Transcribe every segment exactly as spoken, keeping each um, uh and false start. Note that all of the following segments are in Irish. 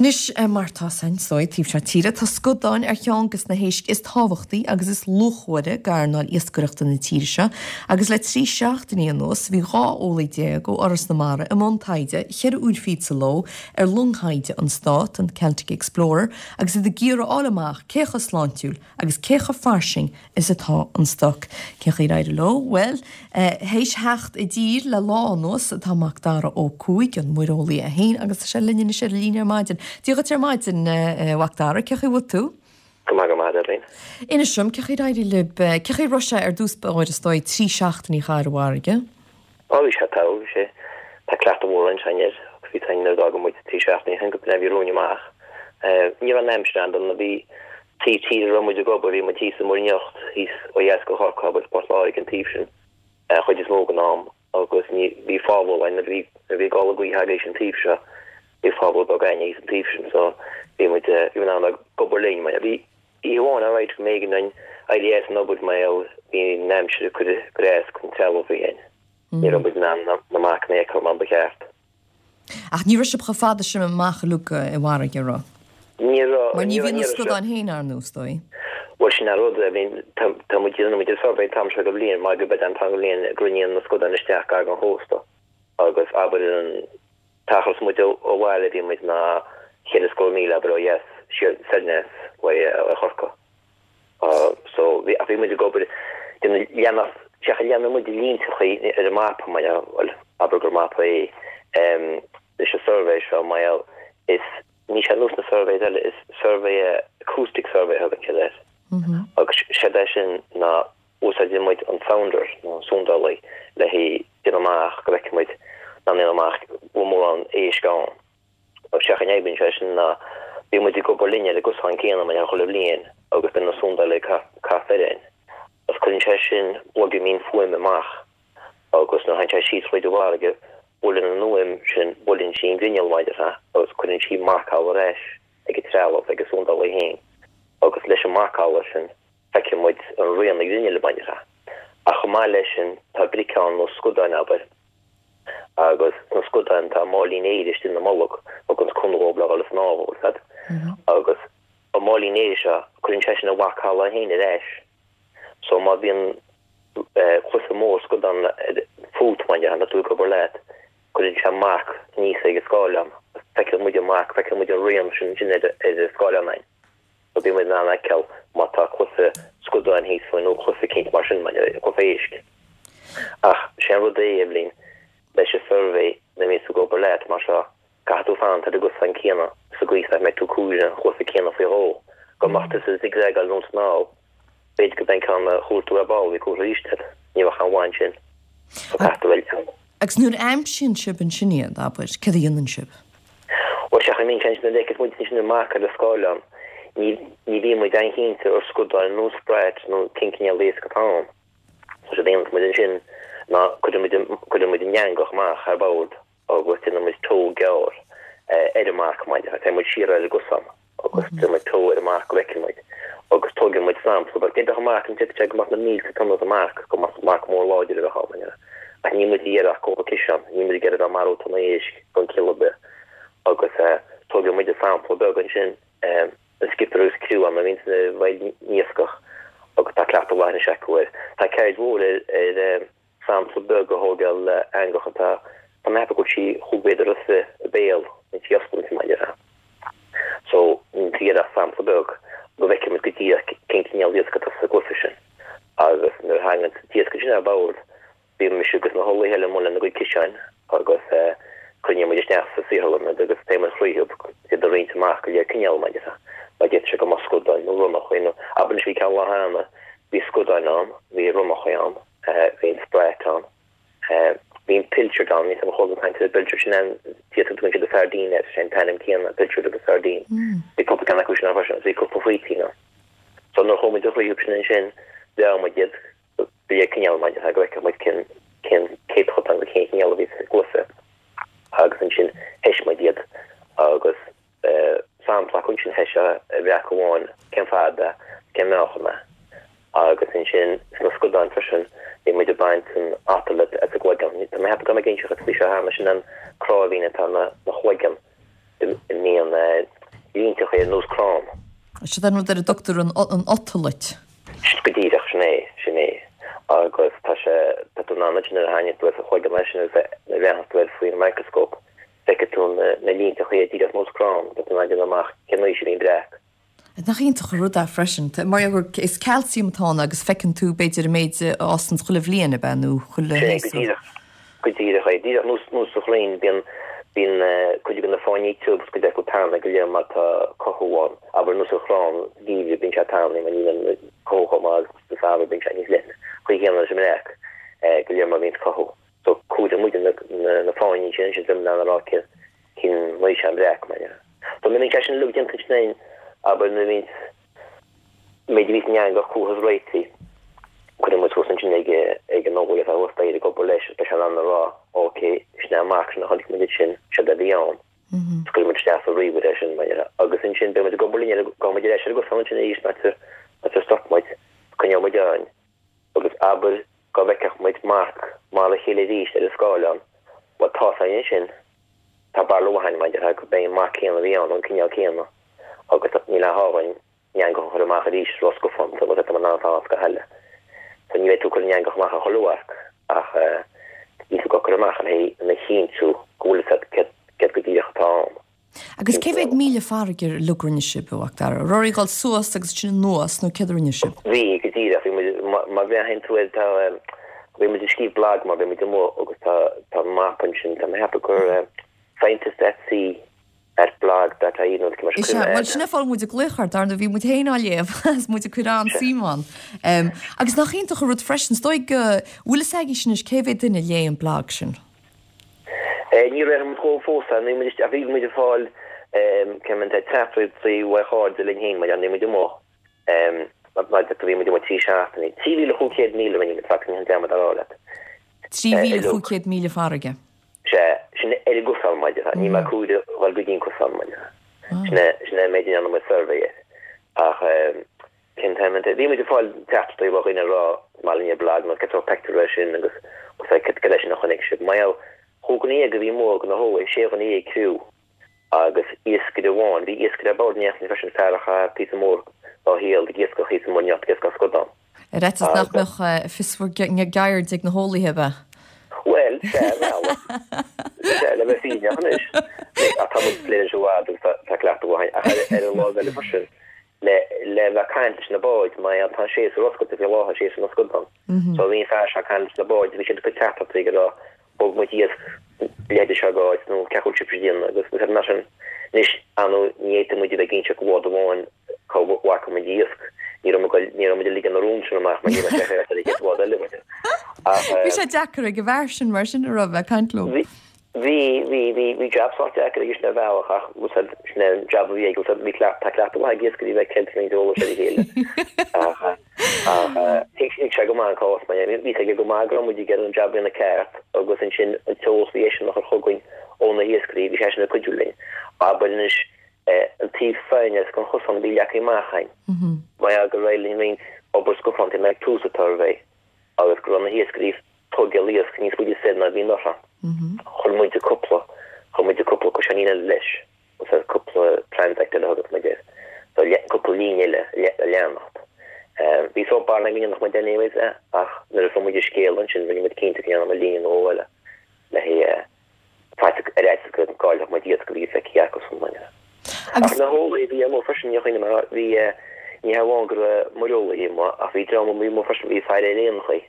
Anois mar tá san sóid taobh seo tíre tá scudáin ar cheann de na héisc is tábhachtaí agus is luachmhaire d'earnáil iascaireachta na tíre seo, agus le trí seachtainí anuas bhí dhá eolaí déag ó Fhoras na Mara i mbun taighde ceithre uair fichead sa ló ar long thaighde an Stát an Celtic Explorer agus iad ag iarraidh a fháil amach cé chomh sláintiúil agus cé chomh fairsing is atá an stoc. Cén chaoi ar éirigh leo? Well, théis theacht i dtír le lá anuas atá Macdara Ó Cuaig an muireolaí é féin agus tá sé linn anois ar líne ar maidin. Dia dhuit ar maidin Mhacdara, cén chaoi a bhfuil tú? Go maith go maith Eibhlín. Inis dom cén chaoi ar éirigh libh cén chaoi a raibh sé ar dtús báire is dóigh trí seachtainí a chaitheamh ar an bhfarraige? Á bhí sé togha bhí sé tá cleachtadh mhór ansin air agus bhí nuair a d'fhág muid trí seachtainí ó shin go bhí romhainn amach. Ní raibh an aimsir an-dona bhí taobh tíre a raibh muid ag obair bhí muid thíos i Muir nIocht thíos ó dheas go Chorcaigh agus Port Láirge an taobh sin chuid is mó den am agus ní bhí fábhal na bhí bhí gála gaoithe agéis an taobh seo bhí fábhal beag againn an taobh sin so bhí muid bhí an ag obair linn mar bhí oíche amháin alright go mb'éigean dúinn éirí as an obair mar bhí an aimsir ag cur cur as don trealamh bhí ann. Ní raibh muid in ann na marcanna a fheiceáil mar ba cheart. Ach ní raibh sibh chomh fada sin amach uilig i bhfarraige raibh. Ní raibh Mar ní bhíonn na scudáin féin ar nós dóigh. Well sin an rud I mean tá muid déanann muid survey tam seo go bliain mar go beid an tan bliain grinníonn na scudáin isteach gar an chósta agus abair an t-achar muid ó bhaile bhí muid ná chéad scór míle abair ó dheas siar soir ó Chorcaigh. Uh, so bhí bhí muid ag obair leanach seach leanna muid línteachaí ar an mapa mar well abair gur mapa é um, leis an survey seo mar is ní sé nós na surveys eile is survey acoustic survey thugann siad air. Agus sé é sin ná úsáideann muid an sounder nó sondálaí le hé déanamh amach go bhfeiceann muid ná déanamh amach bhfuil mórán éisc ann. Agus sé an fhadhb sé sin ná bhí muid ag obair linne le gosán céanna mar chuile bhliain agus bíonn na sondálaí cath féin. Agus cuireann sé sin bogadh mín fuaime amach agus nuair a théann sé síos tríd an bhfarraige buaileann an fhuaim sin buaileann sí an grinneall maidir agus cuireann sí marcáil ar ais ag an trealamh ag an sondálaí féin agus leis an marcáil sin feiceann muid an rian na grinneall maidir. Ach chomh maith leis sin tá briceán nó scudáin abair agus na scudáin tá máilín aeir istigh ina mbolg agus cúnamh le dhul ag snámh fad agus an máilín aeir seo cuireann sé sin a mharcáil féin ar ais. So má bhíonn cluiche mór scudán fút mar na tú go leat cuireann sé marc níos ag an scáileán feiceann muid an marc feiceann muid an rian sin sin ar ar an scáileán ein. So bíonn muid in ann feiceáil má tá cluiche scudáin thíos faoi nó cluiche eicínt mar sin mar cluiche éisc. Ach sé an rud é Eibhlín leis an survey na mí go obair leat mar seo caithfidh tú fanacht ar an gcosán céanna sa gcaoi nach mbeidh tú cúir an chluiche céanna faoi dhó go mbeadh tú sa zigzagáil nó snámh b'fhéidir go mbeidh ceann a chuairtú ar ball bhí cúrsa arís ní bheadh an bhain sin So caithfidh tú bheith Agus nuair a aimsíonn sibh ansin iad abair, céard a dhéanann sibh? Well sé mín sin na leicis muid sin amach ar an scáileán ní ní bhíonn muid an-chinnte ar scudáin nó sprat nó cén cineál éisc atá ann. So sé déanann muid ansin ná cuireann muid cuireann muid an eangach amach ar bord agus déanann muid tow gearr ar an marc maidir tá muid siar ar an gcosán agus déanann muid tow ar an marc go bhfeiceann muid agus tógann muid sampla but d'fhéadfadh marc an d'fhéadfadh sé go mbeadh na mílte tonna de marc go mbeadh marc mór láidir a bheith ann ach ní muid ag iarraidh cúpla ciseán ní muid ag iarraidh bheith marú tonna éisc gan chiall ar bith agus tógann muid sampla beag ansin an skipper agus criú an a bhíonn sna bhfeighil iascach agus tá cleachtadh mhaith anois acu air. Tá ceird mhór ar ar sampla beag a thógáil le eangach atá tá mé ag ceapadh go bhfuil sí chúig mhéadar is fiche i béal an tí oscailte maidir. So ní iarraidh sampla beag go bhfeiceann muid go díreach cén cineál iasc atá sa gcluiche sin. Agus nuair a thagann iasc sin ar bord bíonn mise agus na heolaithe eile amuigh lena gcuid ciseáin agus coinníonn muid isteach sa saotharlann agus téann muid thríothu iad a roinnt amach go léir cineál maidir. Má d'fhéadfadh sé go mbeadh scudáin nó ronnachaí nó abair anois bhí ceann lá cheana bhí scudáin ann, bhí ronnachaí ann, bhí an sprat ann, bhí an pilchard ann, níl a fhios agam an chuala caint ar an bpilchard sin an tíos a tugann siad sardine air, sé an t-ainm céanna pilchard agus sardine. Bhí cúpla ceann acu sin ann freisin agus bhí cúpla faoitín ann. So nuair a chuaigh muid thríothu sin ansin mheá muid iad go léir cineál maidir go bhfeiceadh muid cén cén céatadán nó cén cineál a bhí sa gcluiche agus ansin thoisis muid iad agus sampla acu ansin thoisis a bhreac amháin cén fad é cén meáchan é agus ansin sna scudáin freisin bhí muid ag baint an otolith as a gcloigeann. Tá mé ag ceapadh go mbeidh inseacht faoi seo cheana sin an cráibhín atá na na chloigeann mbíonn línteacha ar nós crann. Sin an rud ar a dtugtar an an otolith. Go díreach, sin é, sin é. Agus tá sé, tá tú in ann nuair a tháinig tú ar chuid leis sin agus nuair a bhreathnaíonn tú air faoin microscope, feicfidh tú na na línteacha díreach nós crann, tá tú in ann déanamh amach cén aois a bhí an breac. Nach iontach an rud é freisin. Mar gur is calcium atá ann agus feiceann tú b'fhéidir an méid a fhásann chuile bhliain ab ea nó chuile Sin é, go díreach. Go díreach é. Díreach nós nós sa chrainn bíonn bíonn cuid de na fáinní tiubh agus cuid acu tanaí go léir má tá cothú ann. Abair nós an chrann geimhridh bíonn sé tanaí mar níl an cothú chomh maith agus sa samhradh bíonn sé níos leithne. Chaoi chéanna leis an mbreac go léir má bhíonn cothú. So cuireann muid na na fáinní sin ansin in ann a rá cén cén aois an breac mar dhea. So nuair a bhíonn sé sin uilig déanta ansin againn abair nuair a bhíonn méid a bhíos an eangach chuathas réitithe, cuireann muid suas ansin ag ag an eolaí atá thuas staighre ag obair leis agus beidh sé in ann a rá ok sin é an marc sin a chonaic muid ansin, séard a bhí ann. Is cuireann muid isteach sa ríomhaire é sin mar dhea. Agus ansin beidh muid ag obair linn ar gabhfaidh muid ar ais ar an gcosán ansin arís an áit ar ar stop muid, coinneoidh muid ann agus abair go bhfeicfeadh muid marc mar a chéile arís ar an scáileán, bhuel tá's againn ansin, tá barúil mhaith againn mar dhea gurb é an marc céanna a bhí ann, an cineál céanna agus níl aon ghá dhúinn an eangach a chur amach arís ró-scafánta agus tá muid in ann fanacht go heile. So ní bheidh tú ag cur an eangach amach ar chuile mharc ach níl tú ag cur amach le haghaidh a chinntiú go bhfuil fhios agat céard go díreach atá ann. Agus cé mhéad míle farraige uilig a rinne sibh, a Mhac Dara? Raibh oraibh dul suas agus ansin anuas nó céard a rinne sibh? Bhí, go díreach. Bhí muid, má bhreathnaíonn tú air, tá, bhí muid ag scríobh blag mar bhí muid amuigh agus tá, tá mapa ansin, tá mé ag ceapadh gur scientist at sea at blog dot ie nó mar sin. Is ea, bhuel sin an fáth muid ag glaoch ort, dar ndóigh, bhí muid féin á léamh agus muid ag cur an-suim ann. Agus nach iontach an rud freisin, is dóigh go bhfuil fhios agaibh anois cé mhéad duine a léigh an blag sin? Ní raibh muid chomh fós ann, níl muid, ach bhí muid ag fáil cé mhéad teachtaireachtaí ó chairde linn féin, mar níl muid amuigh, mar bhí muid amuigh trí seachtainí. Trí mhíle chúig chéad míle a rinne muid, faic, ní hin dearmad a rá leat. Trí mhíle chúig chéad míle farraige. Sea, sin ar an gcosán, mar déarfá. Níl mé ag comhaireamh dhul go dtí an cosán, mar déarfá. Sin é, sin é an méid a ndearna muid suirbhé air. Ach cén t-ainm é? Bhí muid ag fáil teachtaireachtaí ó dhaoine ag rá, is maith linn an blag nó cén sórt pictiúr é sin agus cad é sin a chonaic sibh. Mar gheall, chúig dhuine dhéag a bhí amuigh de na heolaithe, sé dhuine dhéag criú agus iascaire amháin. Bhí iascaire ar bord in éineacht linn freisin, fear a chaith píosa mór dá shaol ag iascach thíos i Muir nIocht, ag iascach scadán. Ar fhaitíos nach mbeadh fios bhur gceirde ag na heolaithe, ab ea? Bhuel, sea, ar bhealach. Sea, le bheith fírinneach anois. Ach tá muid ag plé leis i bhfad agus tá cleachtadh mhaith againn. Ach ar an lámh eile freisin, le le bheith ag caint leis na báid, mar tá an séasúr oscailte faoi láthair, séasúr na scadán. So bhí an fear seo ag caint leis na báid, bhí siad ag cur teachtaireachtaí ag rá, thóg muid iasc leithéide seo d'áit nó cén chaoi a bhfuil sibh ag déanamh agus bhí mar sin. Anois, ar ndóigh, ní fhéadfadh muid a bheith ag inseacht do bhád amháin cá bhfaca muid iasc. Ní raibh muid ní raibh muid ag ligean na rún sin amach mar ní raibh sé féaráilte ar an chéad bhád eile muid. Ach Bhí sé deacair ag an bhfear sin mar sin a raibh ag caint leo. Bhí, bhí, bhí, bhí, bhí jab sách deacair aige sin ar bhealach ach bhfuil sin é an jab a bhí aige, bhí cleacht, tá cleachtadh mhaith ag iascairí a bheith ag ceilt roinnt eolais ar a chéile. Ach, ach thuig thuig sé go maith an cás mar bhí a fhios aige go maith go raibh muid ag iarraidh an jab a dhéanamh ceart agus ansin an t-eolas a bhí eisean a chur chugainn ó na hiascairí, bhí seisean ag cuidiú linn. Abair anois an taobh s'againne den chosán a bhí leagtha amach againn. Mar gheall gur éirigh linn roinnt obair scafánta ag tús an tsuirbhé agus go raibh na hiascairí ag tógáil iasc níos faide soir ná a bhí anuraidh. Chuir muid cúpla, chuir muid cúpla cosáinín eile leis, agus cúpla transect eile a thugas muid air, so cúpla líne eile le leanacht. Bhí sórt barúil againn go ndéanfadh muid anyways é, ach nuair a fuair muid an scéal ansin rinne muid cinnte go ndéanfadh muid líne nó dhó eile le haghaidh faitíos ar fhaitíos go gcaillfeadh muid iasc a bhí feicthe acusan mar. Ach na heolaithe a bhí amuigh freisin, ní chuimhním mar bhí, ní hamháin go raibh muireolaithe amuigh ach bhí dream amuigh freisin, bhí faire ar éanachaí.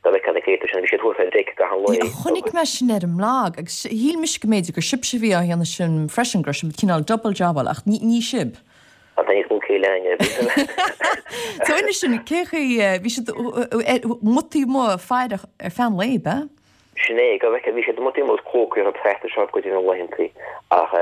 Dá bhfeicfeá na créatúir sin, bhí siad thuas ar deic gach aon lae. Chonaic mé sin ar an mblag agus shíl mise go mb'fhéidir gur sibhse a bhí á dhéanamh sin freisin, go raibh sibh cineál double jobáil ach ní sibh. Tá níos mó céille againn ar bith. So inis dúinn, cé chaoi, bhí siad amuigh taobh amuigh ag faire ar feadh an lae, ab ea? Sin é, go bhfeicfeá, bhí siad amuigh taobh amuigh agus clócaí orthu thart ar seo go dtí na laethantaí ach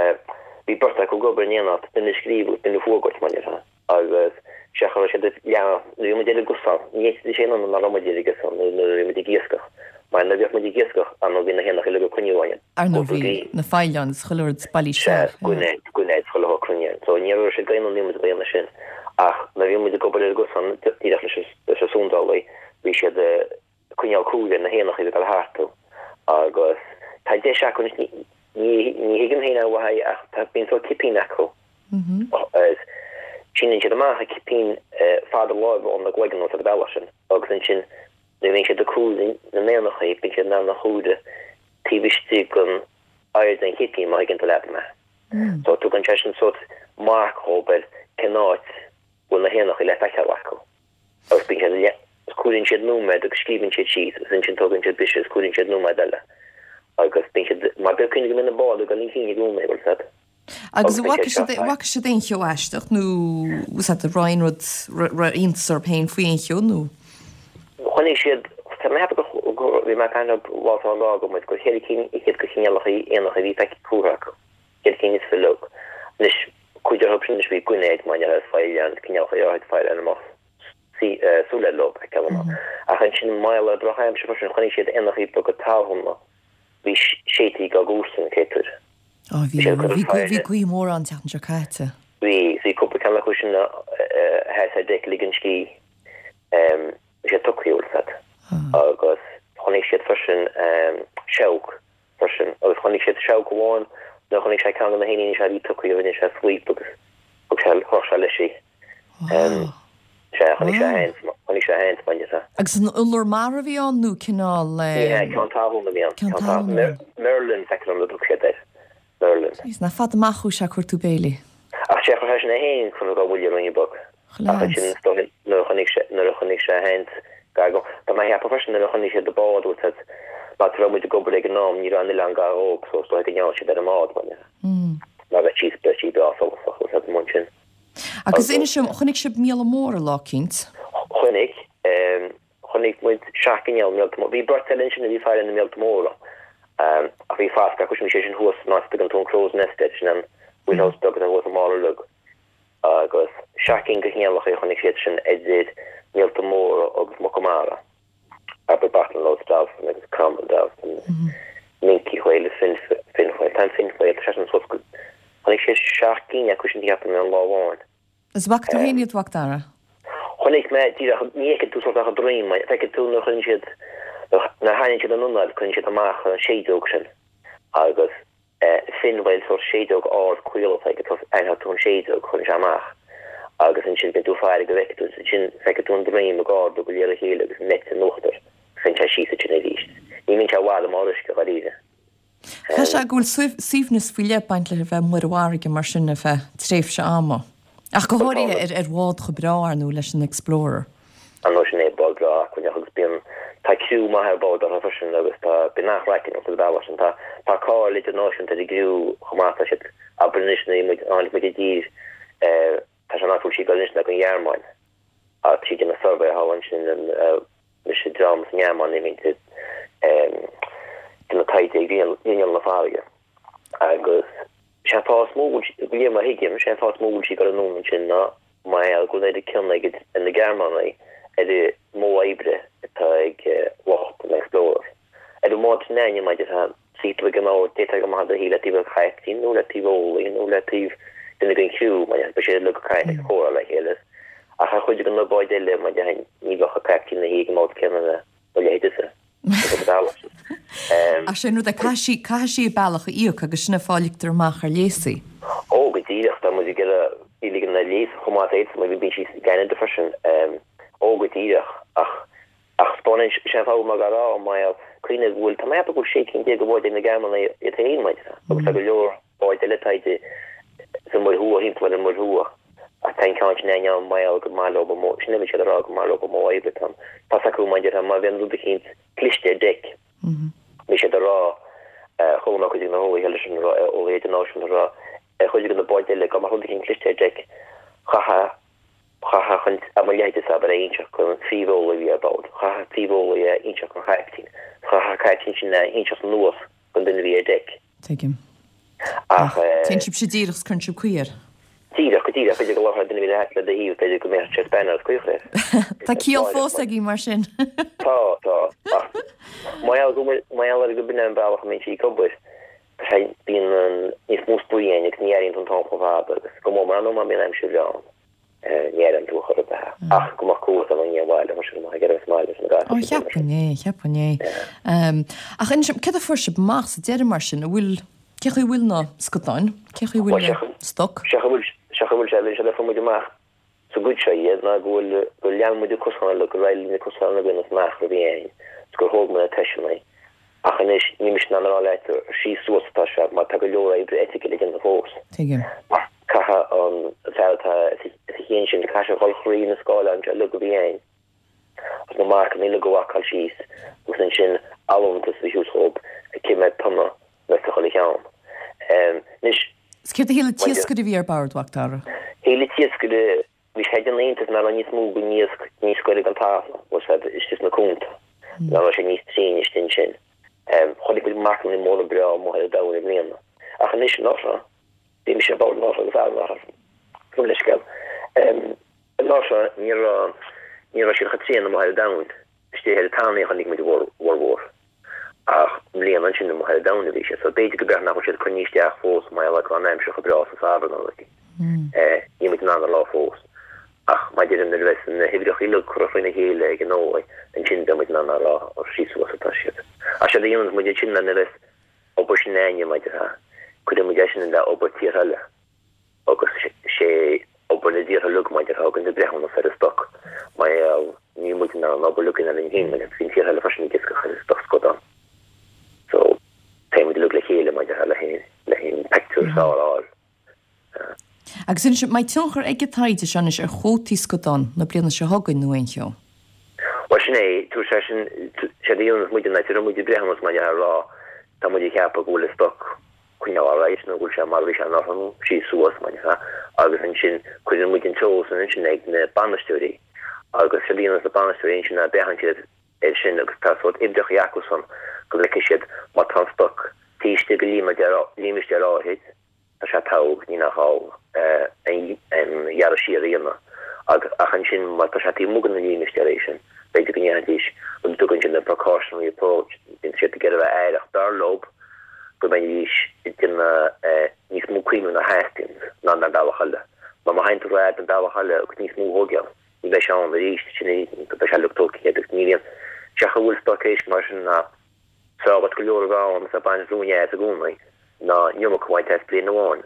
bhí beirt acu ag obair in éineacht, duine ag scríobh agus duine ag fuagairt, mar a déarfá. Agus sea, cha raibh siad ag leanacht, nuair a bhí muid ar an gcosán, ní fhéadfaidís aon ionadh nach raibh muid ar an gcosán nuair a bhí muid ag iascach, mar nuair a bhíodh muid ag iascach, ar ndóigh bhí na héanacha uilig ag cruinniú againn. Ar ndóigh bhí na faoileáin is chuile rud bailithe Sea, gurnaid, gurnaid, chuile shórt cruinnithe. So ní raibh siad ag aon ionadh muid ag déanamh sin. Ach nuair a bhí muid ag obair ar an gcosán, díreach leis an, leis an sundálaí, bhí siad ag coinneáil cúil ar na héanacha a bhí ag dul tharstu. Agus tá deis acu anois, ní, ní, ní thuigim féin an mhaith ach tá, bíonn Is síneann siad amach a cipín fada láimhe óna gcloigeann ar an bhealach sin agus ansin nuair a bhíonn siad ag comhaireamh na n-éanachaí bíonn siad in ann a chomhaireamh taobh istigh den airde an chipín má thuigeann tú leat mé. So tugann sé sin sórt marc dhóibh ar cén áit bhfuil na héanachaí le feiceáil acu. Agus bíonn siad le comhaireann siad nóiméad agus scríobhann siad síos agus ansin tógann siad briseadh agus comhaireann siad nóiméad eile. Agus bíonn siad mar bíonn cuimhne go mbíonn na báid ag dul chun cinn i gcónaí, bhfuil 's agat. Agus an bhfaca siad an bhfaca siad aon cheo aisteach nó was that aon rud iontas orthu féin faoi aon cheo nó? Chonaic siad, tá mé ag ceapadh go bhí mé ag caint leo lá tá lá go muid gur cheithre cinn fhichead de chineálacha éanacha a bhí feicthe curtha acu, ceithre cinn is fiche uilig. Anois cuid orthu sin anois bhí gainéid mar gheall ar faoileáin, cineálacha áirithe faoileáin amach súil leo a fheiceáil amach. Ach ansin mar gheall ar drochaimsir freisin chonaic siad éanachaí beaga talún a bhí séidte dá gcúrsa an chéad uair. Á bhí, bhí bhí gaoth mhór an tseachtain seo caite. Bhí, bhí cúpla ceann acu sin a sheas ar deic ag ligean scíth. Bhí sé tugtha, bhfuil 's agat. Agus chonaic siad freisin seabhac freisin agus chonaic siad seabhac amháin nuair a chonaic sé ceann de na héiníní seo a bhí tugtha rinne sé sweep agus thug sé, chroch sé leis í. Wow. Sea, chonaic sé féin, chonaic sé féin, bain de. Agus an iolar mara a bhí ann nó cineál. Ní hea, ceann talún a bhí ann. Ceann talún. Merlin, feictear dom a thug siad air. Merlin. Jeez, nach fada amach chuaigh sé ag cuartú béilí. Ach sé, chuir seisean é féin chun go bhfuil ruainne beag. Chuile Ach ansin, is dóigh, nuair a chonaic sé, nuair a chonaic sé féin gar go, tá mé a cheapadh freisin nuair a chonaic siad an bád, bhfuil 's agat, mar áit a raibh muid ag obair ag an am, ní raibh an oileán gar dhóibh, so is dóigh go ndearna siad ar an mbád, bain de. Mar bheadh sí, bheadh sí breá solasach, bhfuil 's agat, amuigh ansin. Agus inis dom, chonaic sibh míola móra lá eicínt? Chonaic. Chonaic muid seacht gcineál míolta móra. Bhí beirt eile ansin a bhí ag faire na míolta móra. Ach bhí fascadh acu sin, bhí sé sin thuas san áit a dtugann tú an Crow's Nest air, sin an wheelhouse beag atá thuas i mbarr uilig. Agus seacht gcinn de chineálacha a chonaic siad sin idir míolta móra agus muca mara. Abair bottlenose dolphin agus common dolphin, minke whale, fin fin whale, tá an fin whale, tá sé sin suas go, chonaic siad seacht gcinn acu sin cheapaim ar an lá amháin. Is bhfaca tú féin iad, a Mhac Dara? Chonaic mé díreach, ní fheiceann tú sórt ach a droim, feiceann tú nuair a chuireann siad, nuair a tharraingíonn siad an anáil, cuireann siad amach an séideog sin agus fin whale sórt séideog ard caol atá aige, aithneoidh tú an séideog, cuireann sé amach agus ansin bíonn tú ag faire go bhfeicfidh tú, ansin feicfidh tú an droim ag ardú go léir a chéile agus an eite in uachtar, téann sé síos ansin arís. Ní bhíonn sé i bhfad i mbarr uisce dháiríre. Tá sé go bhfuil suaimhneas faoi leith ag baint le bheith amuigh ar an bhfarraige mar sin ar feadh tréimhse ama. Ach go háirithe ar ar bhád chomh breá, ar ndóigh, leis an Explorer. Ar ndóigh sin é, bád breá acmhainneach agus bíonn, tá criú maith ar bord orthu freisin agus tá, bíonn an-chraic ann sa bhealach sin. Tá, tá cáil idirnáisiúnta ar an gcriú chomh maith, tá siad, abair anois nuair a bhí muid, tháinig muid i dtír, tá sé in áit a bhfuil sí ag dul anois ná go Ghearmáin. Tá sí ag déanamh suirbhé thall ansin, leis an dream sa nGearmáin a bhíonn ag déanamh taighde ar ghrinneall na farraige agus sé an fáth is mó go bhfuil, de réir mar a thuigim, sé an fáth is mó go bhfuil sí ag dul anonn ansin ná mar gheall go bhfuil an oiread cion ag na Gearmánaigh ar an modh oibre atá ag lucht an Explorer. Ar an mbád sin againne, maidir le suí tú ag an mbord, d'fhéadfá go maith do shuí le taobh an chaiptín nó le taobh eolaí nó le taobh duine den chriú, mar beidh siad uilig ag caint ag comhrá le chéile. Ach ar chuid de na báid eile, mar déarfainn, ní bheadh an caiptín ina shuí ag an mbord céanna le mo leithéidese. Ach sin rud é, caithfidh sí, caithfidh sí a bealach a íoc agus sin an fáth a ligtear amach ar léas í. Ó, go díreach, tá muid ag iarraidh í ligean ar léas chomh maith is a fhéadfas muid, bíonn sí i gCeanada freisin. Ó, go díreach, ach, ach spáineann sé an fáth mar go raibh, mar gheall, cuimhnigh go bhfuil, tá mé ag ceapadh go bhfuil sé cinn déag de bháid ag na Gearmánaigh iad féin, mar agus tá go leor báid eile taighde sa Mhuir Thuaidh, thimpeall ar an Muir Thuaidh, ach tá an ceann sin againne ann, mar gheall gur maith leo an modh, sin a bhí siad a rá, gur maith leo an modh oibre atá ann. Tá's acu, mar a déarfá, má bhíonn rud eicínt cliste ar deic, bhí siad a rá, chuala mé cuid de na heolaithe eile sin a rá, eolaithe idirnáisiúnta a rá, ar chuid de na báid eile, go mbeadh rud eicínt cliste ar deic, chaithfeá, chaithfeá chun, a mo leithéidese, abair, a inseacht don phríomheolaí a bhí ar bord, chaithfeadh an príomheolaí a inseacht don chaiptín, chaithfeadh an caiptín sin a inseacht anuas don duine a bhí ar deic. Tuigim. Ach. Téann sibhse díreach is cuireann sibh caoi air. Díreach, go díreach. B'fhéidir go labharfadh duine a bhí le do thaobh, b'fhéidir go mbeadh sé spanner is caoi air. Tá ciall fós aige mar sin. Tá, tá. Ach mar gheall go bhfuil, mar gheall ar go b'in é an bealach a mbíonn sí ag obair, tá sé, bíonn an, níos mó spraoi ann agus ní airíonn tú an t-am chomh fada agus go mór mór nó má bhíonn aimsir bhreá ann. Ní airíonn tú chor ar bith. Ach go mbeadh cumha san an bhaile, tá sé go maith ag iarraidh smaile san gcathair. Ó, cheapfainn é, cheapfainn é. Ach inis dom, céard a fuair sibh amach sa deireadh mar sin? An bhfuil, Cé chaoi bhfuil na scadáin? Cé chaoi bhfuil na stoc? Sé bhfuil sé bhfuil sé bhí sé le muid amach sa gcuid seo iad ná go bhfuil go lean muid cosán le go raibh na cosán againn is nach raibh aon gur thóg muid na teisteanna. Ach anois níl mise in ann a rá leat síos suas atá sé mar tá go leor oibre eitice le déanamh fós. Tuigim. Caithfidh an fear atá sa cheann sin caithfidh sé dhul thrí na scáileáin seo uilig a bhí ann agus na marcanna uilig a mharcáil síos agus ansin allúntas a thabhairt dhób cé mhéad tonna a bheas sa chuile cheann. Anois. Is céard a shíl an t-iascaire a bhí ar bord, a Mhac Dara? Shíl an t-iascaire bhí sé ag déanamh iontais nach raibh níos mó den iasc níos gaire don talamh, bhfuil a fhios agat, istigh sna cuanta, nach raibh sé níos tréine istigh ansin. Chonaic muid marcanna móra breá amuigh ar an domhan i mbliana. Ach anois anuraidh, bhí mise ar bord anuraidh agus fear anuraidh, gabh mo leithscéal. Anuraidh ní raibh ní raibh siad chomh tréan amuigh ar an domhan, istigh ar an tanaí a chonaic muid a bhformhór. Ach i mbliana ansin amuigh ar an domhan a bhí siad, so b'fhéidir go b'fhéidir nach bhfuil siad coinnithe isteach fós mar gheall ar go raibh an aimsir chomh breá sa samhradh nó rud. Níl muid in ann a rá fós. Ach mar a deirim nuair a bheas na huimhreacha uilig curtha faoina chéile ag an eolaí, ansin beidh muid in ann a rá síos suas atá siad. Ach séard a dhéananns muid ansin ná nuair a bheas obair sin againne mar a déarfá, cuireann muid é sin le obair tíortha eile. Agus sé obair na dtíortha uilig mar a déarfá a thugann breithiúnas ar an stoc mar gheall níl muid in ann an obair uilig a dhéanamh linn féin mar bíonn tíortha eile freisin ag iascach ar an stoc scadán. So téann muid uilig le chéile mar a déarfá le le an pictiúr is fearr a fháil. Agus anois, an mbeidh tionchar ag an taighde seo anois ar chuótaí scadán na bliana seo chugainn nó aon cheo? Bhuel sin é, tabharfaidh sé sin, séard a dhéananns muid ná tabharfaidh muid breithiúnas mar a déarfá a rá tá muid ag ceapadh go bhfuil an stoc coinneáil ar aghaidh nó go bhfuil sé mar a bhí sé anuraidh nó síos suas mar a déarfá agus ansin cuireann muid an t-eolas sin ansin ag na bainisteoirí agus séard a dhéananns na bainisteoirí ansin ná breathnaíonn siad air sin agus tá sórt uimhreacha acusan go bhfeicfidh siad má tá an stoc taobh istigh de límistéar áirid tá sé togha, ní nach gá an gearradh siar a dhéanamh agus ach ansin má tá sé taobh amuigh de na límistéirí sin, b'fhéidir go ndéanfaidís rud a dtugann siad an precautionary approach, bíonn siad ag iarraidh a bheith aireach, b'fhearr leo go mbeidís ag déanamh níos mó caomhnú ná theastaíonn ná an bealach eile. Mar má théann tú rófhad an bealach eile agus níos mó a thógáil, ní bheidh sé ann arís, sin é, beidh sé uilig tógtha agus ní bhíonn, sé an chaoi a bhfuil stoc éisc mar sin ná b'fhearr dhuit go leor a bheith ann is ag baint ruainne as i gcónaí ná an iomarca a bhaint as bliain amháin.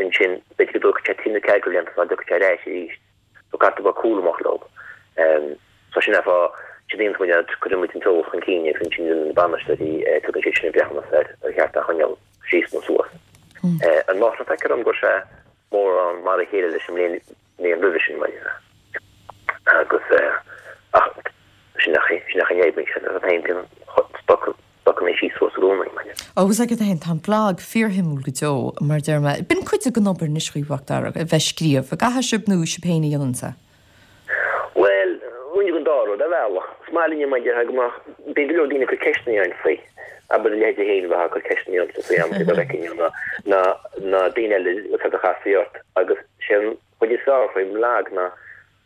Ansin, b'fhéidir go dtógfaidh sé trí nó ceathair de bhlianta sula dtiocfaidh sé ar ais arís. So caithfidh tú a bheith cúramach leo. So sin é an fáth, séard a dhéananns muid ná cuireann muid an t-eolas chun cinn agus ansin déanann na bainisteoirí, tugann siad sin an breithiúnas ar ar cheart é a choinneáil síos nó suas. Anuraidh feictear dom go raibh sé mórán mar a chéile leis an mbliain mbliain roimhe sin, mar dhea. Agus ach sin nach sin nach an fhadhb sin an t-aon bíonn stoc stocanna síos suas i gcónaí, mar dhea. Ó, agus agat féin, tá an blag fíorshuimiúil go deo, mar a deir mé. B'in cuid den obair anois dhaoibh, a Mhac Dara, a bheith ag scríobh. An gcaithfidh sibh nó sibh féin a dhéananns é? Bhuel, roinnt den dá rud, ar bhealach. Is maith linne mar a déarfá go mbeadh, bíonn go leor daoine ag cur ceisteanna orainn faoi, abair a leithéid féin bheith ag cur ceisteanna ormsa faoi am go bhfeicfinn ná ná ná daoine eile a chasfaí ort agus sé an chuid is fearr faoin mblag ná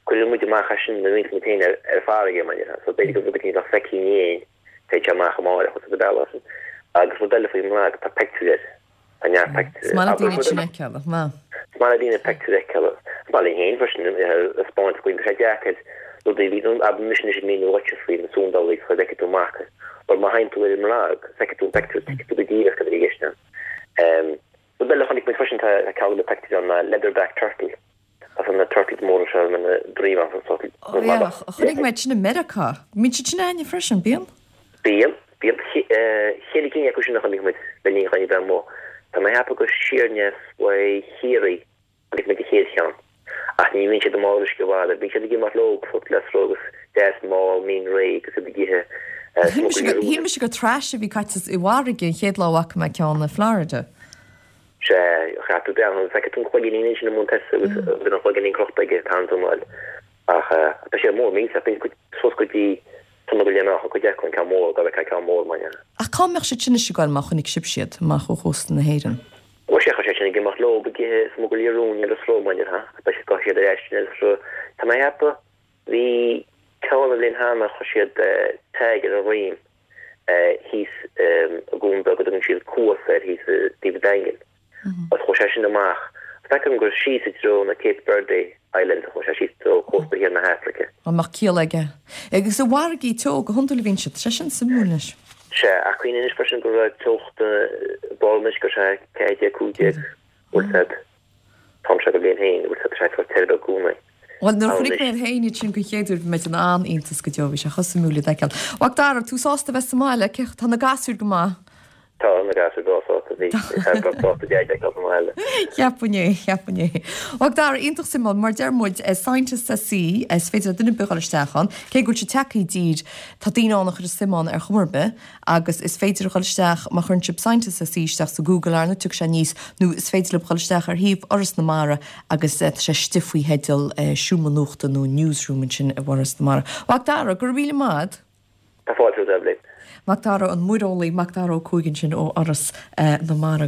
cuireann muid amach é sin nuair a bhíonns muid féin ar ar farraige mar a déarfá so b'fhéidir go rud éicint nach bhfeicfinn féin téann sé amach amárach agus ar bealach sin. Agus rud eile faoin mblag tá pictiúir air. Tá neart pictiúir. Is maith le daoine sin a fheiceáil, maith. Is maith le daoine pictiúir a fheiceáil. Is maith linn féin freisin a thaispeáint go bhfuil sé deacair rudaí a bhí, abair mise anois ag míniú dhuitse faoi na súndálaí is chuir bhfeicfidh tú amach air. Mar má théann tú ar an mblag, feicfidh tú an pictiúr, tuigfidh tú go díreach cad a bhí i gceist ann. Rud eile a chonaic muid freisin, tá ceann de na pictiúir ann ná leatherback turtle. Tá na turtles móra seo a mbíonn droim acu so Ó yeah, chonaic mé sin i Meiriceá. Bíonn siad sin againne freisin, bíonn? Bíonn, bíonn. Cheithre cinn acu sin a chonaic muid le linn dhúinn a bheith amuigh. Tá mé ag ceapadh gur siar aneas uaidh Chiarraí a chonaic muid an chéad cheann. Ach ní bhíonn siad i mbarr uisce i bhfad. Bíonn siad ag imeacht leo sórt le agus deas mall mín réidh agus iad ag ithe smugairlí rúin. Shíl mise gur trash a bhí caite i bhfarraige an chéad lá a bhfaca mé ceann i Florida. Sea, chaithfidh tú breathnú, feicfidh tú an cloiginnín ansin i mbun toise agus bíonn an cloiginnín crochta aige ag tarraingt anáil. Ach tá sé mór millteach, bíonn cuid suas go dtí tonna go leith amach cuid acu, an ceann mór, dá bhfeicfeá ceann mór mar dhea. Ach cá mbeadh siad sin anois ag goil má chonaic sibh iad amach ó chósta na hÉireann? Bhuel, sea, tá siad sin ag imeacht leo ag ithe smugairlí rúin ar an sruth, mar dhea, beidh siad, gabhfaidh siad ar ais ar an sruth. Tá mé ag ceapadh, bhí ceann an bhliain cheana, chuir siad tag ar a dhroim. thíos i gcuan beag a dtugann siad Cuas air thíos i dtaobh an Daingin. Agus chuaigh sé sin amach. Feicim gur síos i dtreo na Cape Verde Islands a chuaigh sé síos i dtreo cósta thiar na hAfraice. An mbeadh ciall aige? Agus i bhfarraigí teo go hiondúil a bhíonn siad. Sé sin suimiúil anois. Sea, ach cuimhnigh anois freisin go raibh teocht ball anois go sé ceathair déag cúig déag bhfuil siad t-am seo den bhliain féin bhfuil siad sé tá te i gcónaí. Bhuel nuair a chonaic mé féin iad sin den chéad uair bhí mé in an-iontas go deo bhí sé chomh suimiúil le feiceáil. Macdara, tú sásta bheith sa mbaile, cé tá na gasúir go maith? Tá na gasúir go sásta bhí sásta deaid ag an mbaile. Cheapfainn é, cheapfainn é. Macdara, iontach suimiúil, mar deir muid Scientists at Sea, is féidir le duine ar bith dul isteach ann, cé go bhfuil sé tagtha i dtír, tá daoine ann a chuir suim ann ar chuma ar bith, agus is féidir a dhul isteach má chuireann sibh Scientists at Sea isteach sa Google arna tiocfaidh sé aníos, nó is féidir libh dhul isteach ar shuíomh Fhoras na Mara agus tá sé istigh faoi theideal Seomra Nuachta nó Newsroom ansin i bhForas na Mara. Macdara, go raibh míle maith. Tá fáilte romhat. Macdara an muireolaí Macdara Ó Cuaig ansin ó Fhoras na Mara.